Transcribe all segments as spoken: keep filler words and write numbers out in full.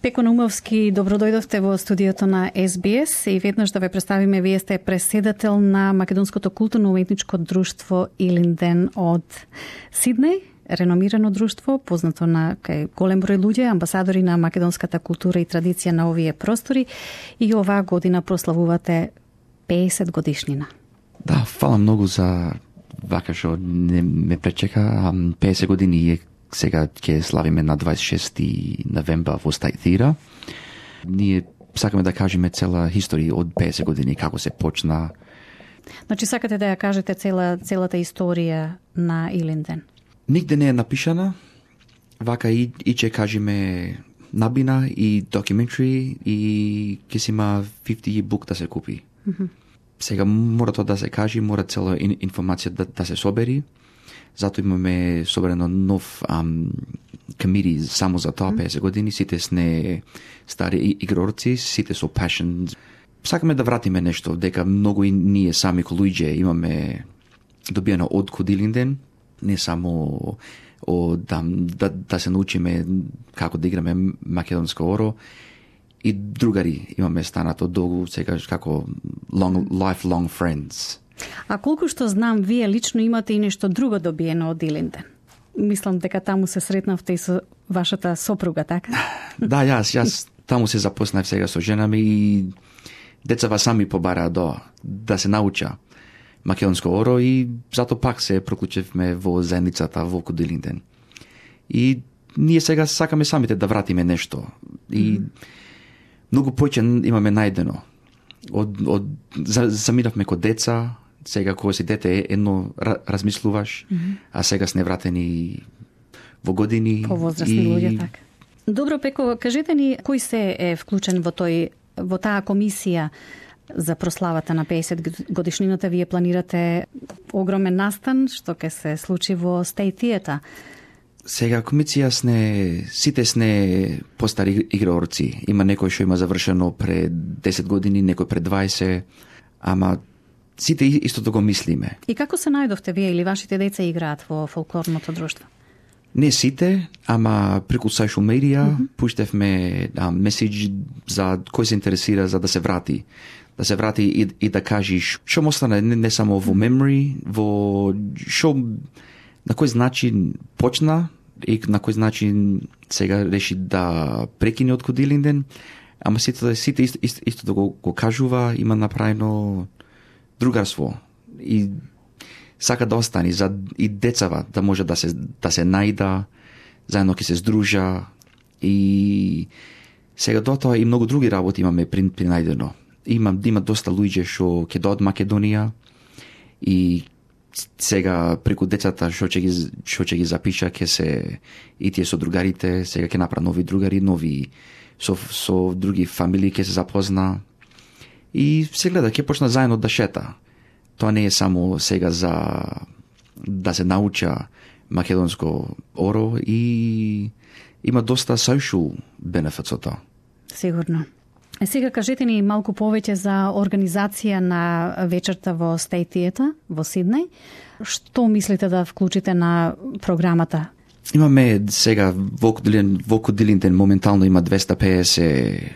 Пеко Наумовски, добро дојдовте во студиото на Ес Би Ес и веднаш да ве представиме, вие сте преседател на Македонското културно-уметничко друштво Илинден од Сиднеј, реномирано друштво, познато на кај голем број луѓе, амбасадори на македонската култура и традиција на овие простори, и оваа година прославувате пеесет годишнина. Да, фала многу за вака што не ме пречека. пеесет години е сега ќе славиме на дваесет и шести новември во Стајт Theatre. Ние сакаме да кажеме цела историја од пеесет години, како се почна. Значи сакате да ја кажете цела, целата историја на Илинден? Нигде не е напишана. Вака и, и ќе кажеме набина и документари и ќе си има петдесет бук да се купи. Mm-hmm. Сега мора тоа да се каже, мора цела информација да, да се собери. Зато имаме соберено нов комити само за тоа, пеесет години. Сите сме стари игрорци, сите со passion. Сакаме да вратиме нешто, дека многу и ние сами ко луѓе имаме добиено од Илинден, не само о, да, да, да се научиме како да играме македонско оро, и другари имаме станато долго, сега како long, lifelong friends. А колку што знам, вие лично имате и нешто друго добиено од Илинден. Мислам дека таму се сретнавте и со вашата сопруга, така? Да, јас, јас таму се запознав сега со жена ми и децава сами побараа до да се науча македонско оро и зато пак се проклучевме во заедницата во Илинден. И ние сега сакаме самите да вратиме нешто. И mm-hmm. многу поќе имаме најдено. Од, од, заминавме ко деца, сега кога си дете едно размислуваш, mm-hmm. а сега сме вратени во години. Повозрасни и... луѓе, така. Добро, Пеко, кажете ни кој се е вклучен во тој во таа комисија за прославата на пеесет годишнината. Вие планирате огромен настан што ќе се случи во Стајт Theatre. Сега комисија сне, сите сне постари игрорци. Има некој што има завршено пред десет години, некој пред дваесет, ама сите истото го мислиме. И како се најдовте вие или вашите деца играат во фолклорното друштво? Не сите, ама преку social media mm-hmm. пуштевме да, меседж за кој се интересира за да се врати. Да се врати и, и да кажеш што му остане не, не само во memory, во што на кој начин почна и на кој начин сега реши да прекине од Илинден, ама сите, сите исто, исто, исто да го, го кажува, има направено другарство и сака да остани за и децава да може да се да се најда, заедно ќе се здружа и сега до тоа и многу други работи имаме при, при најдено. Има има доста луѓе што ќе дојдат Македонија и сега преку децата што ќе ги што ќе ги запиша ќе се и тие со другарите, сега ќе направи нови другари, нови со со други фамилии ќе се запозна и се гледа ќе почна заедно да шета. Тоа не е само сега за да се науча македонско оро и има доста social benefits од тоа. Сигурно. Е, сега кажете ни малку повеќе за организација на вечерта во Стајт Theatre во Сиднеј. Што мислите да вклучите на програмата? Имаме сега во Илинден моментално има двеста пеесет,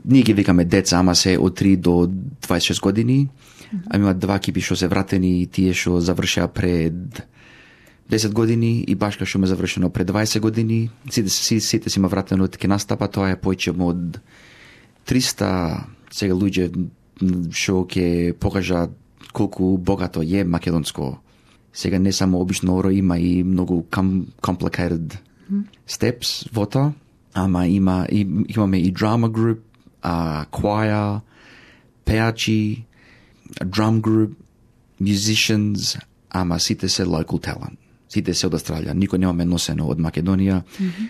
ние ги викаме деца, ама се од три до дваесет и шест години. Mm-hmm. А има два екипи што се вратени и тие што завршеа пред десет години и башка што ме завршено пред дваесет години. Сите, сите, сите си има вратено од ке настапа, тоа е поќе од триста сега луѓе што ќе покажат колку богато е македонско. Сега не само обично оро, има и многу complicated mm-hmm. steps во тоа, ама има и, имаме и drama group, а choir, пеачи, drum group, musicians, ама сите се local talent. Сите се од Австралија. Никој немаме носено од Македонија. Mm-hmm.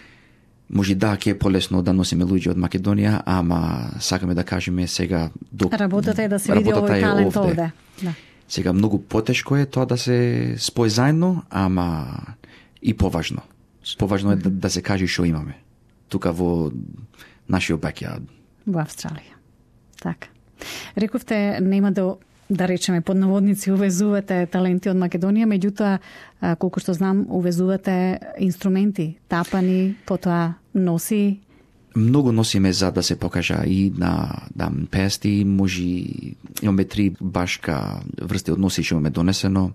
Може да, ќе е полесно да носиме луѓе од Македонија, ама сакаме да кажеме сега... До... Работата е да се види овој талент овде. Да. Сега многу потешко е тоа да се спои заедно, ама и поважно. Поважно е да, да се каже што имаме. Тука во нашиот backyard. Во Австралија. Така. Рековте, нема да да речеме под наводници увезувате таленти од Македонија, меѓутоа колку што знам увезувате инструменти, тапани, потоа носи Многу носиме за да се покажа и на да, пести, може имаме три башка врсти од носи што имаме донесено.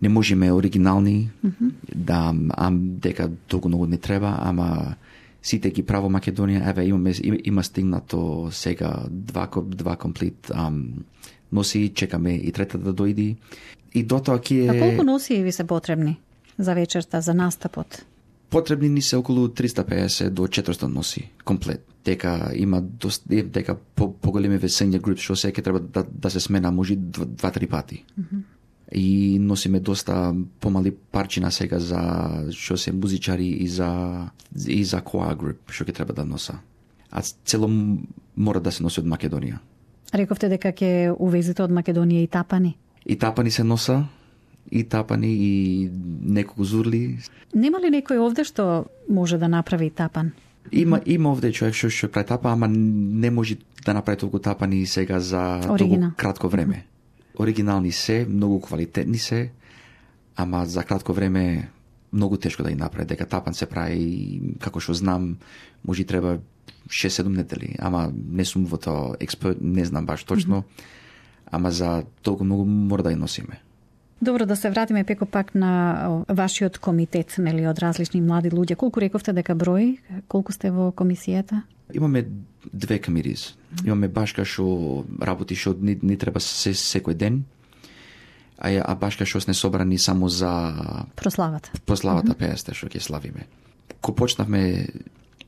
Не можеме оригинални, mm-hmm. да, а дека толку многу не треба, ама сите ги право Македонија, еве имаме има, има стигнато сега два два комплит ам, носи, чекаме и трета да дојди. И дотоа ќе А колку носи ви се потребни за вечерта, за настапот? Потребни ни се околу триста и песет до четиристо носи комплет. Дека има доста дека по поголеми весење груп што се ќе треба да, да се смена може два-три пати. Mm-hmm. И носиме доста помали парчина сега за што се музичари и за и за choir group што ќе треба да носа. А цело мора да се носи од Македонија. Рековте дека ќе увезите од Македонија и тапани. И тапани се носа, и тапани и неколку зурли. Нема ли некој овде што може да направи тапан? Има има овде човек што што прави тапа, ама не може да направи толку тапани сега за Оригинал. толку кратко време. Оригинални се, многу квалитетни се, ама за кратко време многу тешко да ги направи. Дека тапан се прави, како што знам, може треба шест-седум недели, ама не сум во тоа експерт, не знам баш точно, mm-hmm. ама за толку многу мора да ја носиме. Добро, да се вратиме пеко пак на вашиот комитет, нели, од различни млади луѓе. Колку рековте дека брои? Колку сте во комисијата? Имаме две комитис. Имаме башка што работи што ни, ни треба се, секој ден, а, а башка што сме собрани само за прославата. Прославата mm-hmm. песте што ќе славиме. Ко почнавме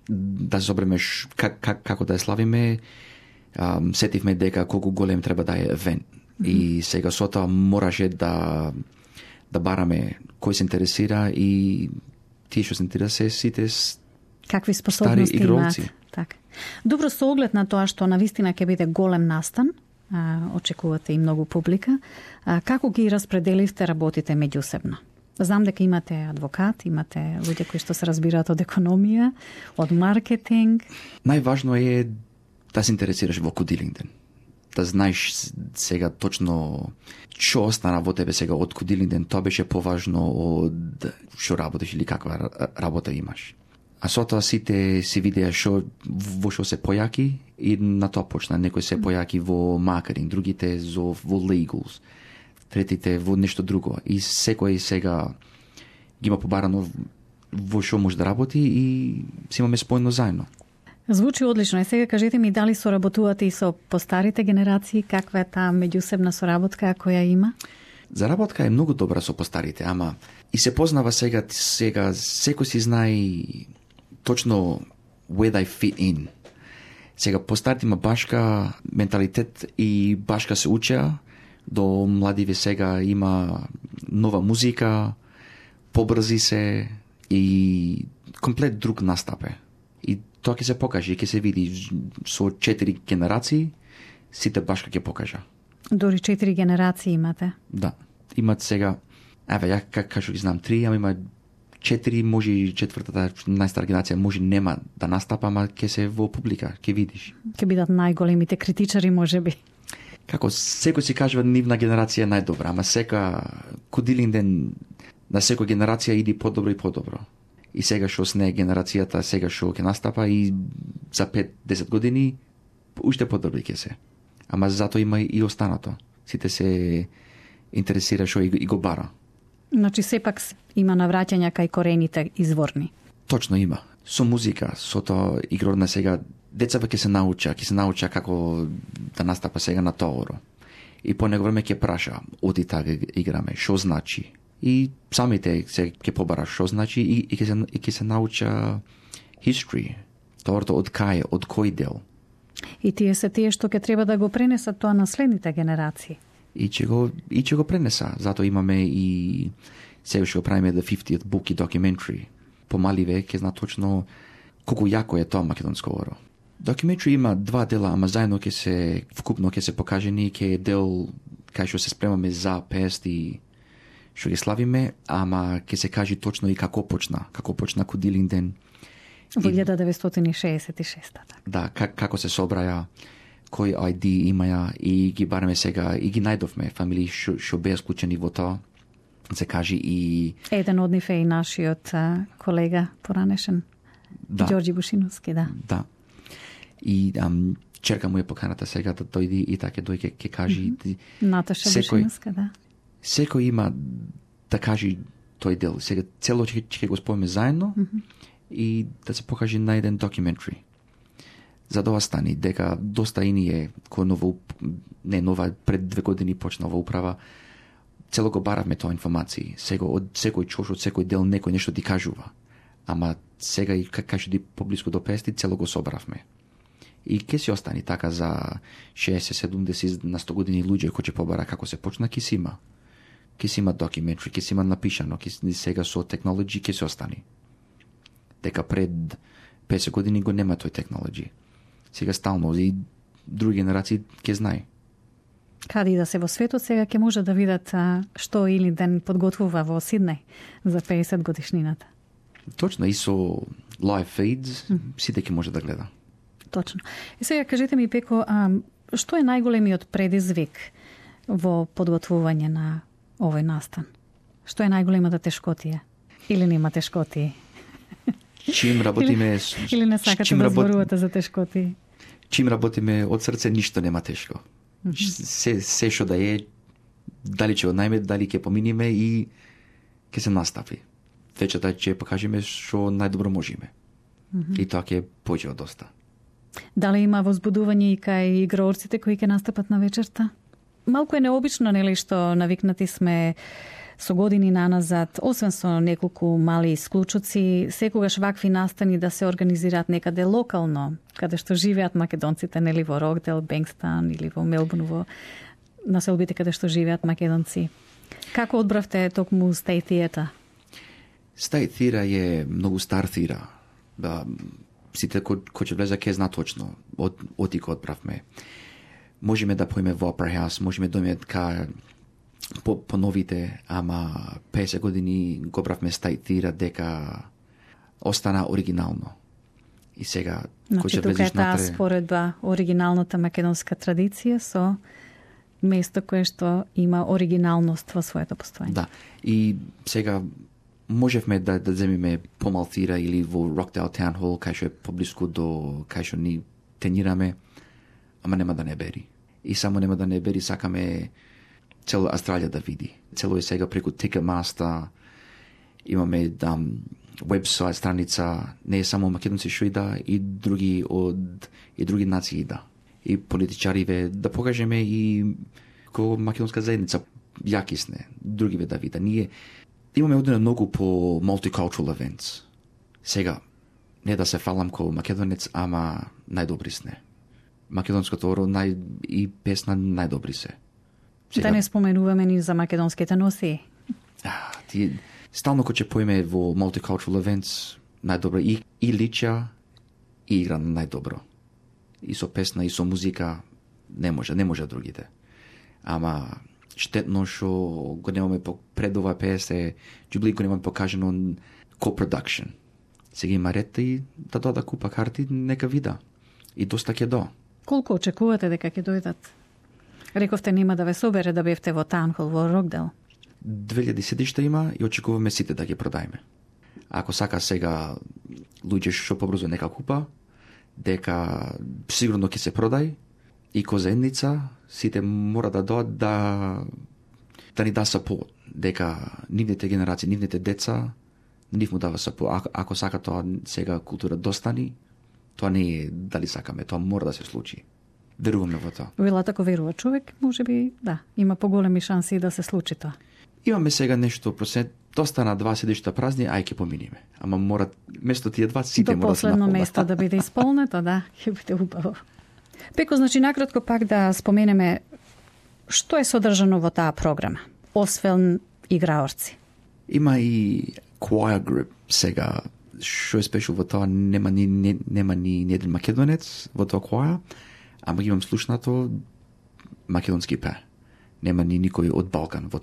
да се собреме как, как, како да ја славиме, um, сетивме дека колку голем треба да е евент. Mm-hmm. И сега со тоа мораше да да бараме кој се интересира и тие што се интересира сите какви способности имаат. Така. Добро, со оглед на тоа што навистина ќе биде голем настан, а, очекувате и многу публика, а, како ги распределивте работите меѓусебно? Знам дека имате адвокат, имате луѓе кои што се разбираат од економија, од маркетинг. Најважно е да се интересираш во кодилингден. Да знаеш сега точно што остана во тебе сега од кодилингден, тоа беше поважно од што работиш или каква работа имаш. А со тоа сите си видеа што во што се појаки и на тоа почна. Некој се појаки во маркетинг, другите во legals, третите во нешто друго. И секој сега ги има побарано во што може да работи и си имаме спојно заедно. Звучи одлично. И сега кажете ми дали соработувате и со постарите генерации, каква е таа меѓусебна соработка која има? Заработка е многу добра со постарите, ама и се познава сега, сега секој си знае точно where they fit in. Сега постарите има башка менталитет и башка се учеа, до младиве сега има нова музика, побрзи се и комплет друг настап е. И тоа ќе се покаже, ќе се види со четири генерации, сите башка ќе покажа. Дори четири генерации имате? Да. Имат сега, еве, ја как кажу ги знам три, ама има четири, може и четвртата, најстара генерација, може нема да настапа, ама ќе се во публика, ќе видиш. Ќе бидат најголемите критичари, може би. Како секој си кажува нивна генерација е најдобра, ама сека кодилингден на секоја генерација иди подобро и подобро. И сега што сне генерацијата, сега што ќе настапа и за пет-десет години уште подобри ќе се. Ама затоа има и останато. Сите се интересира што и го бара. Значи сепак има навраќања кај корените изворни. Точно има. Со музика, со тоа игрор на сега децата ќе се науча, ќе се науча како да настапа сега на тоа. И по него време ќе праша, оди така играме, што значи. И самите се ќе побара што значи и, и ќе се и ќе се науча history. Тоорто од кај, од кој дел. И тие се тие што ќе треба да го пренесат тоа на следните генерации. И ќе го и ќе го пренеса. Затоа имаме и сега што го правиме the fiftieth book и documentary. Помаливе ќе знат точно колку јако е тоа македонско оро. Documentary има два дела, ама заедно ќе се вкупно ќе се покажени, ќе е дел кај што се спремаме за пести што ги славиме, ама ќе се кажи точно и како почна, како почна кодилингден. Во илјада деветстотини шеесет и шеста. Да, как, како се собраја, кој ај ди имаја и ги бараме сега и ги најдовме фамилии што, што беа склучени во тоа. Се кажи и еден од нив е и нашиот а, колега поранешен Да. Ѓорѓи Бушиновски, да. Да. И ам, черка му е поканата сега да дојди и така дојде ќе кажи. Mm -hmm. Наташа Бушиновска, да. Секој има да кажи тој дел. Сега цело ќе, ќе го споиме заедно mm -hmm. и да се покаже на еден документари. За да остани дека доста и ние кој нова не нова пред две години почна ова управа, цело го баравме тоа информации. Сега од секој чош, од секој дел некој нешто ти кажува. Ама сега и како што ди поблиску до песет цело го собравме. И ке си остани така за шеесет седумдесет на сто години луѓе кои ќе побара како се почна, ке си има. Ке си има документари, ке си има напишано, ке си сега со технологија ке се остани. Дека пред песет години го нема тој технологија. Сега стално и други генерации ќе знае. Каде и да се во светот, сега ќе може да видат а, што или ден подготвува во Сиднеј за песет годишнината. Точно, и со live feeds, mm. сите ќе може да гледа. Точно. И сега кажете ми, Пеко, а, што е најголемиот предизвик во подготвување на овој настан? Што е најголемата тешкотија? Или нема тешкотии? Чим работиме... или, или не сакате да зборувате за тешкотии? Чим работиме од срце, ништо нема тешко. Mm -hmm. Се, се што да е, дали ќе однајме, дали ќе поминиме и ќе се настапи. Вечерта ќе покажеме што најдобро можеме. Mm -hmm. И тоа ќе појде од доста. Дали има возбудување и кај играорците кои ќе настапат на вечерта? Малку е необично, нели, што навикнати сме со години наназад, освен со неколку мали исклучоци, секогаш вакви настани да се организираат некаде локално, каде што живеат македонците, нели, во Рокдел, Бенкстан или во Мелбурн, во населбите каде што живеат македонци. Како одбравте токму State Theatre? State Theatre е многу стар theatre. Да, сите кои ко ќе влезе ќе зна точно од оти кој одбравме. Можеме да поиме во Opera House, можеме да дојдеме ка по, по новите, ама песет години го правме State Theatre дека остана оригинално. И сега значи, кој ќе влезеш натре... Тука е таа споредба оригиналната македонска традиција со место кое што има оригиналност во своето постоење. Да, и сега можевме да, да земиме помал theatre или во Rockdale Town Hall, кај што е поблиску до кај што ни тренираме, ама нема да не бери. И само нема да не бери, сакаме цело Австралија да види. Цело е сега преку Ticketmaster, имаме да, вебсайт, страница, не е само македонци што ида, и други од и други нации ида. И политичариве да покажеме и ко македонска заедница јаки сме, другиве да вида. Ние имаме одено многу по multicultural events. Сега, не да се фалам ко македонец, ама најдобри сме. Македонското оро нај, и песна најдобри се. Сега, да не споменуваме ни за македонските носи. А, ти, стално кој ќе поиме во multicultural events, најдобро и, и лича, и игра најдобро. И со песна, и со музика, не може, не може другите. Ама штетно што го немаме пред ова пес е џубли го немаме покажено co-production. Сега има ред и да дода купа карти, нека вида. И доста ќе до. Колку очекувате дека ќе дојдат? Рековте нема да ве собере да бевте во Таунхол во Рокдел. две илјади седишта има и очекуваме сите да ги продајме. Ако сака сега луѓе што побрзо нека купа, дека сигурно ќе се продај, и ко заедница сите мора да доат да да ни да сапорт, дека нивните генерации, нивните деца, нив му дава сапорт. Ако, ако сака тоа сега култура достани, тоа не е дали сакаме, тоа мора да се случи. Веруваме во тоа. Вела тако верува човек, може би, да, има поголеми шанси да се случи тоа. Имаме сега нешто процент, доста на два седишта празни, ај ќе поминиме. Ама мора место тие два сите мора да се наполнат. До последно место да биде исполнето, да, ќе биде убаво. Пеко, значи, накратко пак да споменеме што е содржано во таа програма, освен играорци. Има и choir group сега, што е спешал во тоа, нема ни, не, нема ни еден македонец во тоа choir, ама имам слушнато македонски пе. Нема ни никој од Балкан во,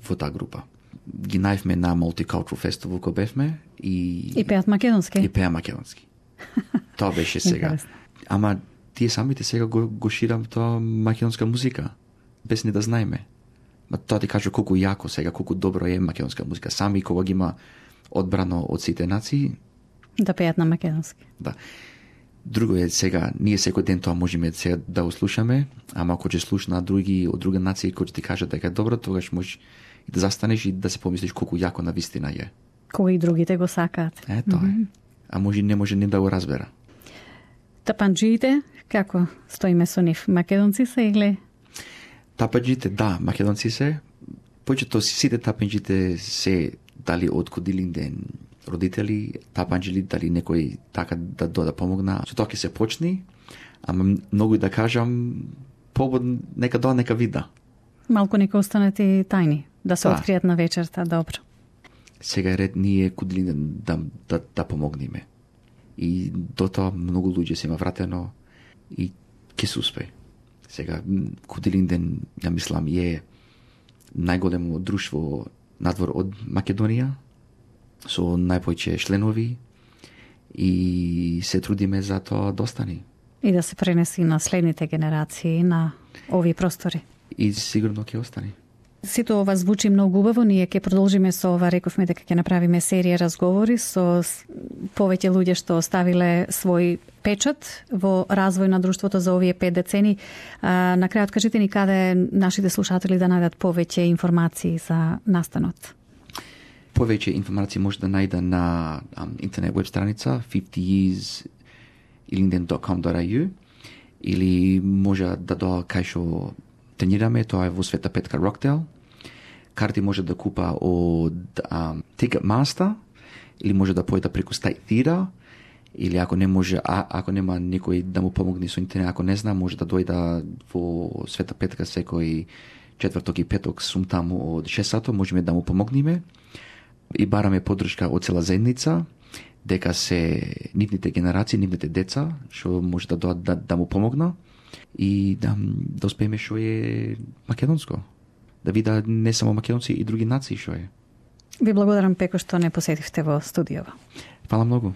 во таа група. Ги најавме на Multicultural Festival кој бевме и... И пеат македонски? И пеа македонски. Тоа беше сега. Ама тие самите сега го, го ширам тоа македонска музика, без ни да знаеме. Ма тоа ти кажа колку јако сега, колку добро е македонска музика. Сами кога ги има одбрано од сите нации, Да пеат на македонски. Да. Друго е сега, ние секој ден тоа можеме сега да услушаме, ама ако ќе слушна други од друга нации кои ќе ти кажат дека е добро, тогаш можеш и да застанеш и да се помислиш колку јако на вистина е. Кои другите го сакаат. Е, тоа е. Mm-hmm. А може не може не да го разбера. Тапанџиите, како стоиме со нив? Македонци се или? Тапанџиите, да, македонци се. Повеќето сите тапанџиите се дали од Кудилинден родители, тапанџили, дали некој така да дода помогна. Со тоа ќе се почни, ама многу и да кажам, побод нека доа нека вида. Малку нека останат и тајни, да се да. Откријат на вечерта, добро. Сега е ред ние Кудилинден да, да, да помогнеме. И до тоа многу луѓе се има вратено и ќе се успее. Сега Кудилинден, ја мислам, е најголемо друштво надвор од Македонија, со најповеќе членови и се трудиме за тоа да остани. И да се пренеси на следните генерации на овие простори. И сигурно ќе остани. Сето ова звучи многу убаво, ние ќе продолжиме со ова, рековме дека ќе направиме серија разговори со повеќе луѓе што оставиле свој печат во развој на друштвото за овие пет децени. А, на крајот кажете ни каде нашите слушатели да најдат повеќе информации за настанот. Повеќе информации може да најде на um, интернет веб страница fifty years ilinden dot com dot a u или може да доа кај што тренираме, тоа е во Света Петка Роктел. Карти може да купа од um, Ticketmaster или може да појде преку State Theatre или ако не може, а, ако нема некој да му помогне со интернет, ако не знам, може да дојда во Света Петка секој четврток и петок сум таму од шест сато, можеме да му помогнеме и бараме поддршка од цела заедница, дека се нивните генерации, нивните деца, што може да дојдат да, да му помогна и да, да успееме што е македонско. Да вида не само македонци и други нации што е. Ви благодарам, Пеко, што не посетивте во студијава. Фала многу.